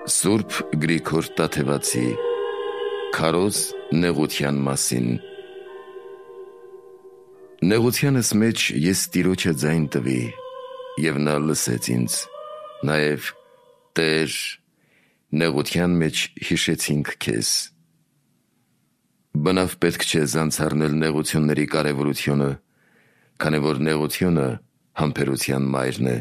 Սուրբ Գրիգոր Տաթևացի Քարոզ նեղության մասին։ Նեղությանս մեջ ես Տիրոջը ձայն տվի, և նա լսեց ինձ, նաև Տեր, նեղության մեջ հիշեցինք քեզ։ Բնավ պետք չէ զանցառնել նեղությունների կարևորությունը, քանի որ նեղությունը համբերության մայրն է,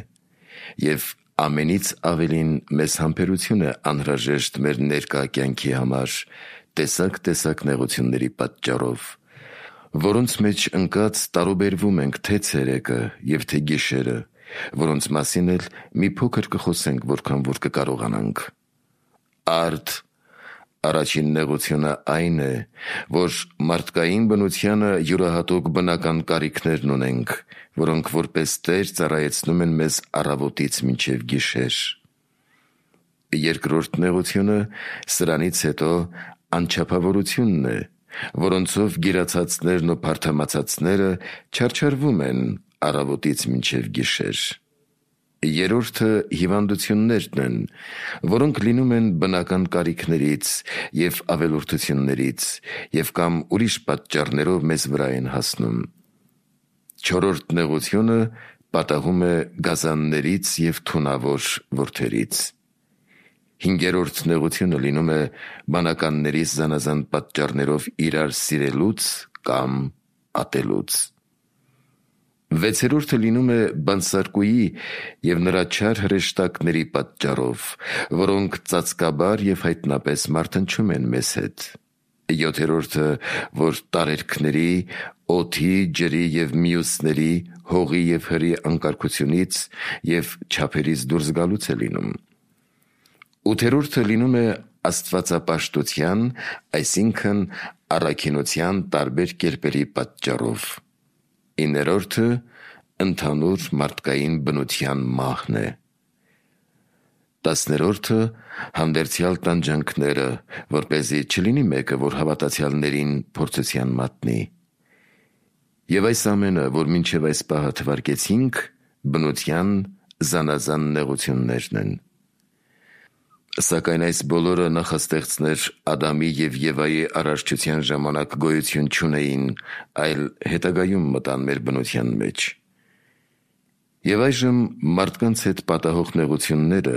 և ամենից ավելին մեզ համբերություն է անհրաժեշտ մեր ներկա կյանքի համար տեսակ նեղությունների պատճառով, որոնց մեջ ընկած տարուբերվում ենք թե ցերեկը և թե գիշերը, որոնց մասին էլ մի փոքր կխոսենք, որքան որ կկարողանանք։ Արդ առաջին նեղությունը այն է, որ մարդկային բնությանը յուրահատուկ բնական կարիքներն ունենք, որոնք որպես Տեր ծառայեցնում են մեզ առավոտից մինչև գիշեր։ Երկրորդ նեղությունը սրանից հետո անչափավորությունն է, որոնցով գիրացածներն ու փարթամացածները չարչարվում են առավոտից մինչև գիշեր։ Երրորդը հիվանդություններն են, որոնք լինում են բնական կարիքներից և ավելորդություններից և կամ ուրիշ պատճառներով մեզ վրա են հասնում։ Չորրորդ նեղությունը պատահում է գազաններից և թունավոր որդերից։ Հինգերորդ նեղությունը լինում է բանականներից զանազան պատճառներով իրար սիրելուց կամ ատելուց։ Վեցերորդը լինում է բանսարկուի և նրա չար հրեշտակների պատճառով, որոնք ծածկաբար և հայտնապես մարթնչում են մեզ հետ։ Յոթերորդը, որ տարերքների, օդի, ջրի և մյուսների, հողի և հրի անկարգությունից և չափերից դուրս գալուց է լինում։ Ութերորդը լինում է աստվածապաշտության, այսինքն առաքինության տարբեր կերպերի պատճառով։ Իններորդը ընդհանուր մարդկային բնության մահն է։ Տասներորդը հանդերձյալ տանջանքները, որպեսզի չլինի մեկը, որ հավատացյալներին փորձության մատնի։ Եվ այս ամենը, որ մինչև այս պահը թվարկեցինք, բնության զանազան նեղություններն են։ Սակայն այս բոլորը նախաստեղծներ Ադամի և Եվայի արարչության ժամանակ գոյություն չունեին, այլ հետագայում մտան մեր բնության մեջ։ Եվ այժմ մարդկանց հետ պատահող նեղությունները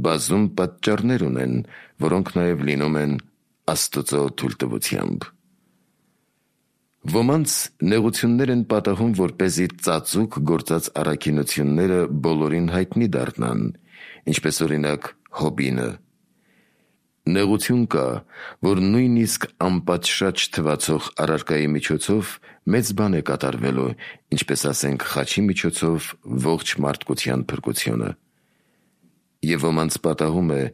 բազում պատճառներ ունեն, որոնք նաև լինում են Աստծո թույլտվությամբ։ Ոմանց նեղություններ են պատահում, որպեսզի ծածուկ գործած առաքինությունները բոլորին հայտնի դառնան, ինչպես օրինակ Հոբինը։ Նեղություն կա, որ նույնիսկ անպատշաճ թվացող առարկայի միջոցով մեծ բան է կատարվելու, ինչպես ասենք խաչի միջոցով ողջ մարդկության փրկությունը։ Եվ ոմանց պատահում է,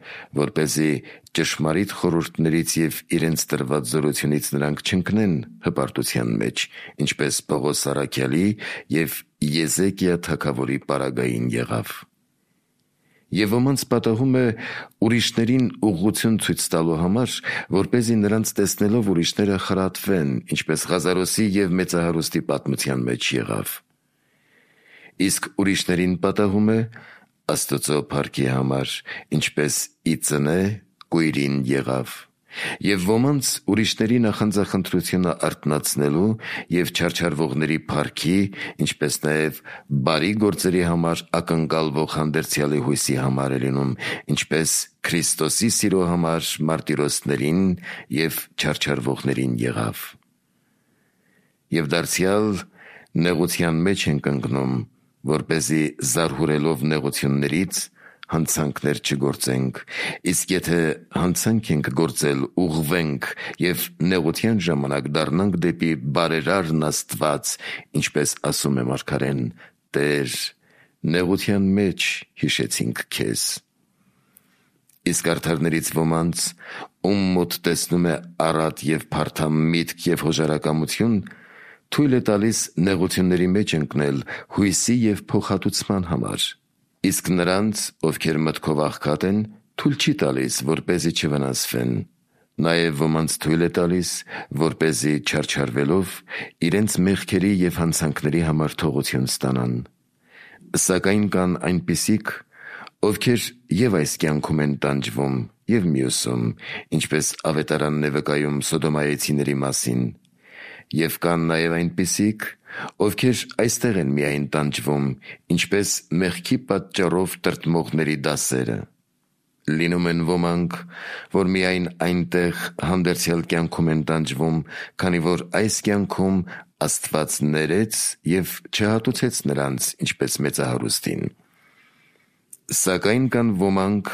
որպեսզի ճշմարիտ խորհուրդներից և իրենց տրված զորությունից նրանք չընկնեն հպարտության մեջ, ինչպես Պողոս առաքյալի և Եզեկիա թագավորի պարագային եղավ։ Եվ ոմանց պատահում է ուրիշներին ուղղություն ցույց տալու համար, որպեսզի նրանց տեսնելով ուրիշները խրատվեն, ինչպես Ղազարոսի և մեծահարուստի պատմության մեջ եղավ։ Իսկ ուրիշներին պատահում է Աստծո փառքի համար, ինչպես ի ծնե կույրին եղավ։ Եվ ոմանց ուրիշների նախանձախնդրությունը արթնացնելու և չարչարվողների փառքի, ինչպես նաև բարի գործերի համար ակնկալվող հանդերձյալի հույսի համար է լինում, ինչպես Քրիստոսի սիրո համար մարտիրոսներին և չարչարվողներին եղավ։ Եվ դարձյալ նեղության մեջ ենք ընկնում, որպեսզի զարհուրելով նեղություններից հանցանքներ չգործենք, իսկ եթե հանցանք ենք գործել, ուղղվենք և նեղության ժամանակ դառնանք դեպի բարերարն Աստված, ինչպես ասում է մարգարեն. «Տեր, նեղության մեջ հիշեցինք քեզ»։ Իսկ արդարներից ոմանց, ում մոտ տեսնում է առատ և փարթամ միտք և հոժարակամություն, թույլ է տալիս նեղությունների մեջ ընկնել հույսի և փոխհատուցման համար։ Իսկ նրանց, ովքեր մտքով աղքատ են, թույլ չի տալիս, որպեսզի չվնասվեն։ Նաև ոմանց թույլ է տալիս, որպեսզի չարչարվելով իրենց մեղքերի և հանցանքների համար թողություն ստանան։ Սակայն կան այնպիսիք, ովքեր և այս կյանքում են տանջվում, և մյուսում, ինչպես ավետարանն է վկայում Սոդոմայեցիների մասին, և կան նաև այնպիսիք, ովքեր այստեղ են միայն տանջվում, ինչպես մեղքի պատճառով տրտմողների դասերը։ Լինում են ոմանք, որ միայն այնտեղ հանդերձյալ կյանքում են տանջվում, քանի որ այս կյանքում Աստված ներեց և չհատուցեց նրանց, ինչպես մեծահարուստին։ Սակայն կան ոմանք,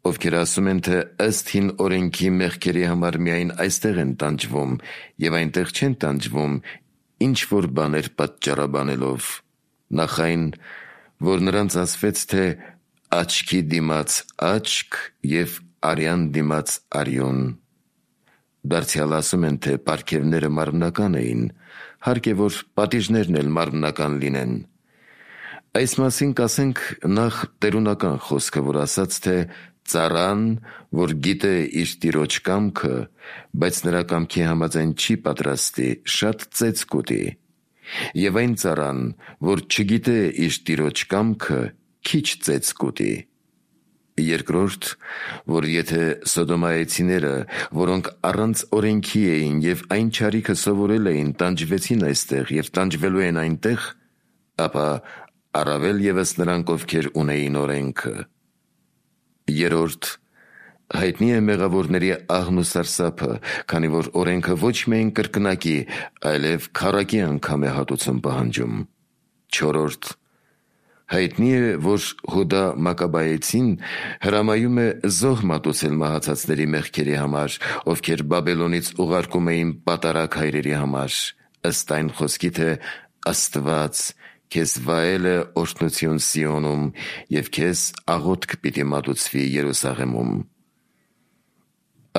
ովքեր ասում են, թե ըստ հին օրենքի մեղքերի համար միայն այստեղ են տանջվում և այնտեղ չեն տանջվում ինչ-որ բաներ պատճառաբանելով, նախ այն, որ նրանց ասվեց, թե աչքի դիմաց աչք և արյան դիմաց արյուն։ Դարձյալ ասում են, թե պարգևները մարմնական էին, հարկ է, որ պատիժներն էլ մարմնական լինեն։ Այս մասին կասենք նախ տերունական խոսքը, որ ասաց, թե ծառան, որ գիտե իր տիրոջ կամքը, բայց նրա կամքի համաձայն չի պատրաստի, շատ ծեծ կուտի, և այն ծառան, որ չգիտե իր տիրոջ կամքը, քիչ ծեծ կուտի։ Երկրորդ, որ եթե Սոդոմայեցիները, որոնք առանց օրենքի էին և այն չարիքը սովորել էին, տանջվեցին այստեղ և տանջվելու են այնտեղ, ապա առավել ևս նրանք, ովքեր ունեին օրենքը։ Երրորդ, հայտնի է մեղավորների աղն ու սարսափը, քանի որ օրենքը ոչ միայն կրկնակի, այլև քառակի անգամ է հատուցում պահանջում։ Չորրորդ, հայտնի է, որ Հուդա Մակաբայեցին հրամայում է զոհ մատուցել մահացածների մեղքերի համար, ովքեր Բաբելոնից ուղարկում էին պատարագ հայրերի համար, ըստ այն խոսքի, թե Աստված քեզ վայել է օրհնություն Սիոնում և քեզ աղոթք պիտի մատուցվի Երուսաղեմում։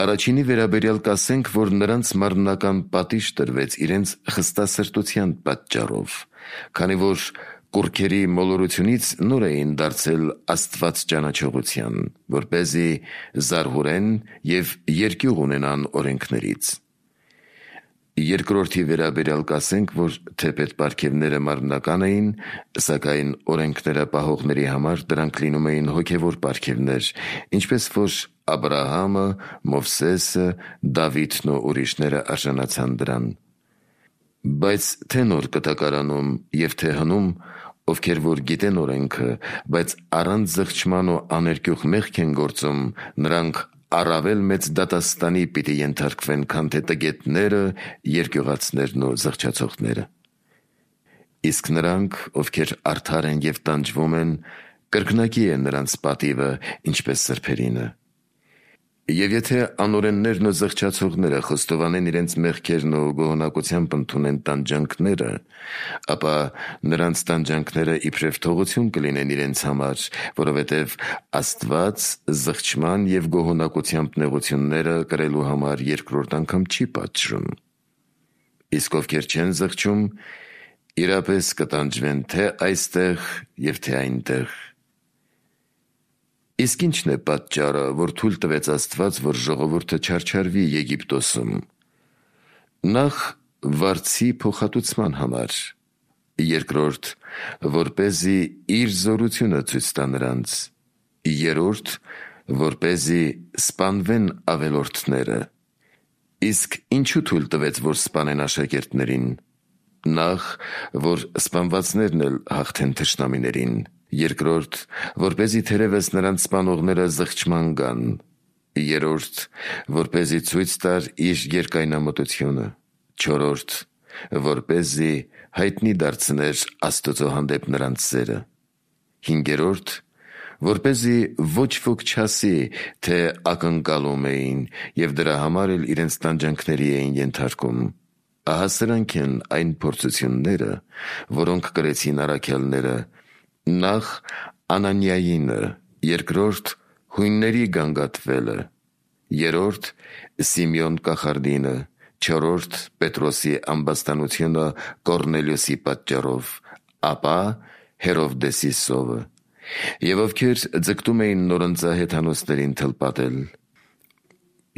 Առաջինի վերաբերյալ կասենք, որ նրանց մարմնական պատիժ տրվեց իրենց խստասրտության պատճառով, քանի որ կուռքերի մոլորությունից նոր էին դարձել Աստված ճանաչողության, որպեսզի զարհուրեն և երկյուղ ունենան օրենքներից։ Երկրորդի վերաբերյալ կասենք, որ թեպետ պարգևները մարմնական էին, սակայն օրենքները պահողների համար դրանք լինում էին հոգևոր պարգևներ, ինչպես որ Աբրահամը, Մովսեսը, Դավիթն ու ուրիշները արժանացան դրան։ Բայց թե նոր կտակարանում և թե հնում, ովքեր որ գիտեն օրենքը, բայց առանց զղջման ու աներկյուղ մեղք են գործում, նրանք առավել մեծ դատաստանի պիտի ենթարկվեն, քան թե տգետները, երկյուղածներն ու զղջացողները։ Իսկ նրանք, ովքեր արդար են և տանջվում են, կրկնակի է նրանց պատիվը, ինչպես սրբերինը։ Եվ եթե անօրեններն ու զղջացողները խոստովանեն իրենց մեղքերն ու գոհունակությամբ ընդունեն տանջանքները, ապա նրանց տանջանքները իբրև թողություն կլինեն իրենց համար, որովհետև Աստված զղջման և գոհունակությամբ նեղությունները կրելու համար երկրորդ անգամ չի պատժում։ Իսկ ովքեր չեն զղջում, իրապես կտանջվեն թե այստեղ և թե այնտեղ։ Իսկ ի՞նչն է պատճառը, որ թույլ տվեց Աստված, որ ժողովուրդը չարչարվի Եգիպտոսում։ Նախ վարձի փոխհատուցման համար, երկրորդ, որպեսզի իր զորությունը ցույց տա նրանց, երրորդ, որպեսզի սպանվեն ավելորդները։ Իսկ ինչու թույլ տվեց, որ սպանեն աշակերտներին։ Նախ, որ սպանվածներն էլ հաղթեն թշնամիներին, երկրորդ, որպեսզի թերևս նրանց սպանողները զղջման գան, երրորդ, որպեսզի ցույց տար իր երկայնամտությունը, չորրորդ, որպեսզի հայտնի դարձներ Աստծո հանդեպ նրանց սերը, հինգերորդ, որպեսզի ոչ ոք չասի, թե ակնկալում էին և դրա համար էլ իրենց տանջանքների էին ենթարկում։ Ահա սրանք են այն փորձությունները, որոնք կրեցին առաքյալները, նախ Անանիայինը, երկրորդ հույնների գանգատվելը, երրորդ Սիմեոն կախարդինը, չորրորդ Պետրոսի ամբաստանությունը Կոռնելիոսի պատճառով, ապա Հերովդեսի սովը, և ովքեր ձգտում էին նորընծա հեթանոսներին թլպատել։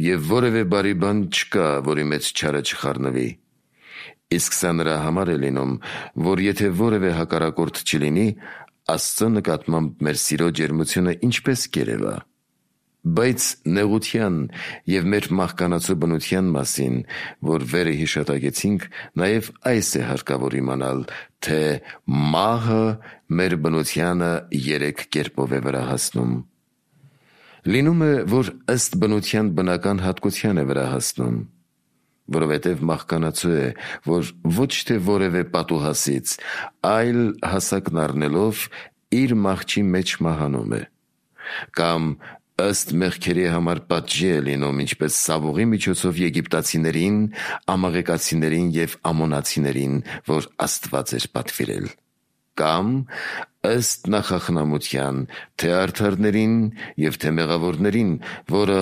Եվ որևէ բարի բան չկա, որի մեջ չարը չխառնվի։ Իսկ սա նրա համար է լինում, որ եթե որևէ հակառակորդ չլինի, Աստծո նկատմամբ մեր սիրո ջերմությունը ինչպես կերևա։ Բայց նեղության և մեր մահկանացու բնության մասին, որ վերը հիշատակեցինք, նաև այս է հարկավոր իմանալ, թե մահը մեր բնությանը 3 կերպով է վրա հասնում։ Լինում է, որ ըստ բնության բնական հատկության է վրա հասնում, որովհետև մահկանացու է, որ ոչ թե որևէ պատուհասից, այլ հասակն առնելով իր մահճի մեջ մահանում է, կամ ըստ մեղքերի համար պատժի է լինում, ինչպես Սավողի միջոցով եգիպտացիներին, ամաղեկացիներին և ամոնացիներին, որ Աստված էր պատվիրել, կամ ըստ նախախնամության, թե արդարներին և թե մեղավորներին, որը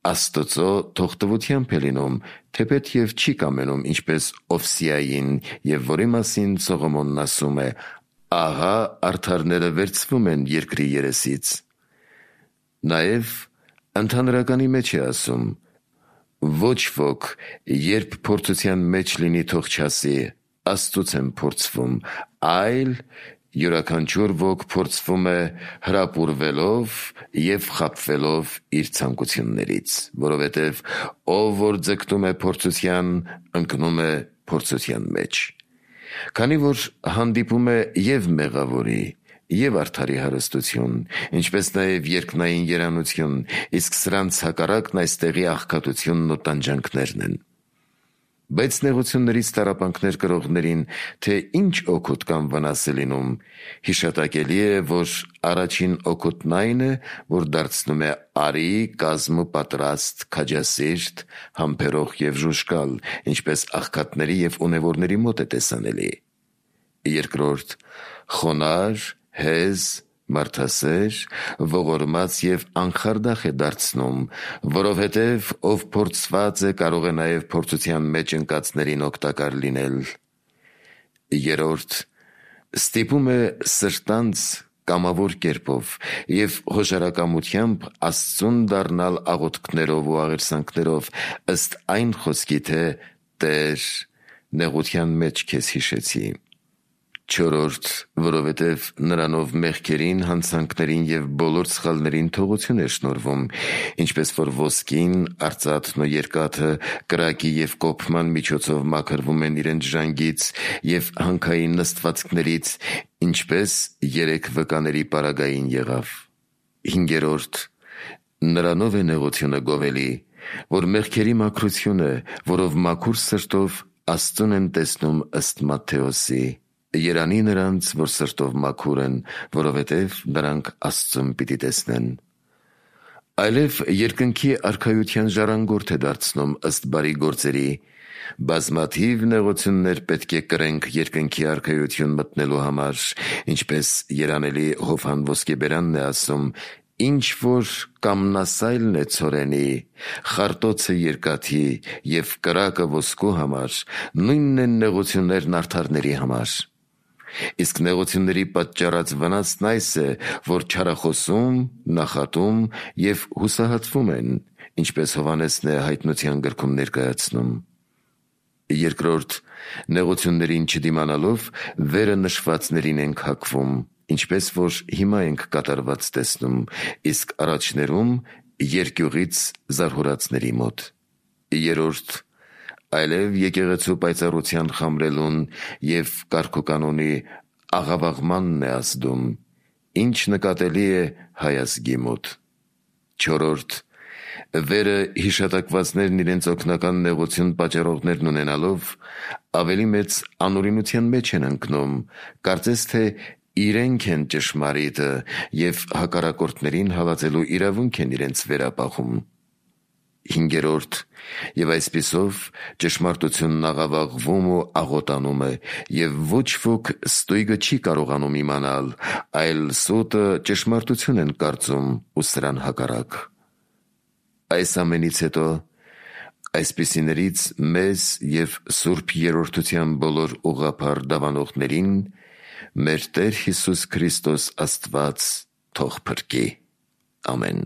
Աստծո թողտվությամբ է լինում, թեպետ և չի կամենում, ինչպես Օվսիային, և որի մասին Սողոմոնն ասում է. «Ահա արդարները վերցվում են երկրի երեսից»։ Նաև ընդհանրականի մեջ է ասում. «Ոչ ոք, երբ փորձության մեջ լինի, թող չասի. Աստծուց եմ փորձվում, այլ յուրաքանչյուր ոք փորձվում է հրապուրվելով և խաբվելով իր ցանկություններից, որովհետև ով որ ձգտում է փորձության, ընկնում է փորձության մեջ, քանի որ հանդիպում է և մեղավորի, և արդարի հարստություն, ինչպես նաև երկնային երանություն, իսկ սրանց հակառակն այստեղի աղքատությունն ու տանջանքներն են։ Բայց նեղություններից տառապանքներ կրողներին, թե ինչ օգուտ կամ վնաս է լինում, հիշատակելի է, որ առաջին օգուտն այն է, որ դարձնում է արի, կազմ ու պատրաստ, քաջասիրտ, համբերող և ժուժկալ, ինչպես աղքատների և ունևորների մոտ է տեսանելի։ Երկրորդ, խոնարհ, հեզ, մարդասեր, ողորմած և անխարդախ է դարձնում, որովհետև ով փորձված է, կարող է նաև փորձության մեջ ընկածներին օգտակար լինել։ Երրորդ, ստիպում է սրտանց կամավոր կերպով և հոժարակամությամբ Աստծուն դառնալ աղոթքներով ու աղերսանքներով, ըստ այն խոսքի, թե «Տեր, նեղության մեջ քեզ հիշեցի»։ Չորրորդ, որովհետև նրանով մեղքերին, հանցանքներին և բոլոր սխալներին թողություն է շնորհվում, ինչպես որ ոսկին, արծաթն ու երկաթը կրակի և կոփման միջոցով մաքրվում են իրենց ժանգից և հանքային նստվածքներից, ինչպես 3 վկաների պարագային եղավ։ Հինգերորդ, նրանով է նեղությունը գովելի, որ մեղքերի մաքրություն է, որով մաքուր սրտով Աստծուն են տեսնում ըստ Մատթեոսի. «Երանի նրանց, որ սրտով մաքուր են, որովհետև նրանք Աստծուն պիտի տեսնեն»։ Այլև երկնքի արքայության ժառանգորդ է դարձնում ըստ բարի գործերի։ Բազմաթիվ նեղություններ պետք է կրենք երկնքի արքայություն մտնելու համար, ինչպես երանելի Հովհան Ոսկեբերանն է ասում. «Ինչ որ կամնասայլն է ցորենի, խարտոցը երկաթի և կրակը ոսկու համար, նույնն են նեղություններն արդարների համար»։ Իսկ նեղությունների պատճառած վնասն այս է, որ չարախոսում, նախատում և հուսահատվում են, ինչպես Հովհաննեսն է Հայտնության գրքում ներկայացնում։ Երկրորդ, նեղություններին չդիմանալով վերը նշվածներին ենք հակվում, ինչպես որ հիմա ենք կատարված տեսնում, իսկ առաջներում երկյուղից զարհուրածների մոտ։ Երրորդ, այլև եկեղեցու պայծառության խամրելուն և կարգուկանոնի աղավաղմանն է ազդում, ինչ նկատելի է հայ ազգի մոտ։ Չորրորդ, վերը հիշատակվածներն իրենց օգնական նեղություն պատճառողներն ունենալով, ավելի մեծ անօրինության մեջ են ընկնում, կարծես թե իրենք են ճշմարիտը և հակառակորդներին հալածելու իրավունք են իրենց վերապահում։ Հինգերորդ, և այսպիսով ճշմարտությունն աղավաղվում ու աղոտանում է, և ոչ ոք ստույգը չի կարողանում իմանալ, այլ սուտը ճշմարտություն են կարծում ու սրան հակառակ։ Այս ամենից հետո այսպիսիներից մեզ և Սուրբ Երրորդության բոլոր ուղղափառ դավանողներին մեր Տեր Հիսուս Քրիստոս Աստված թող փրկի։ Ամեն։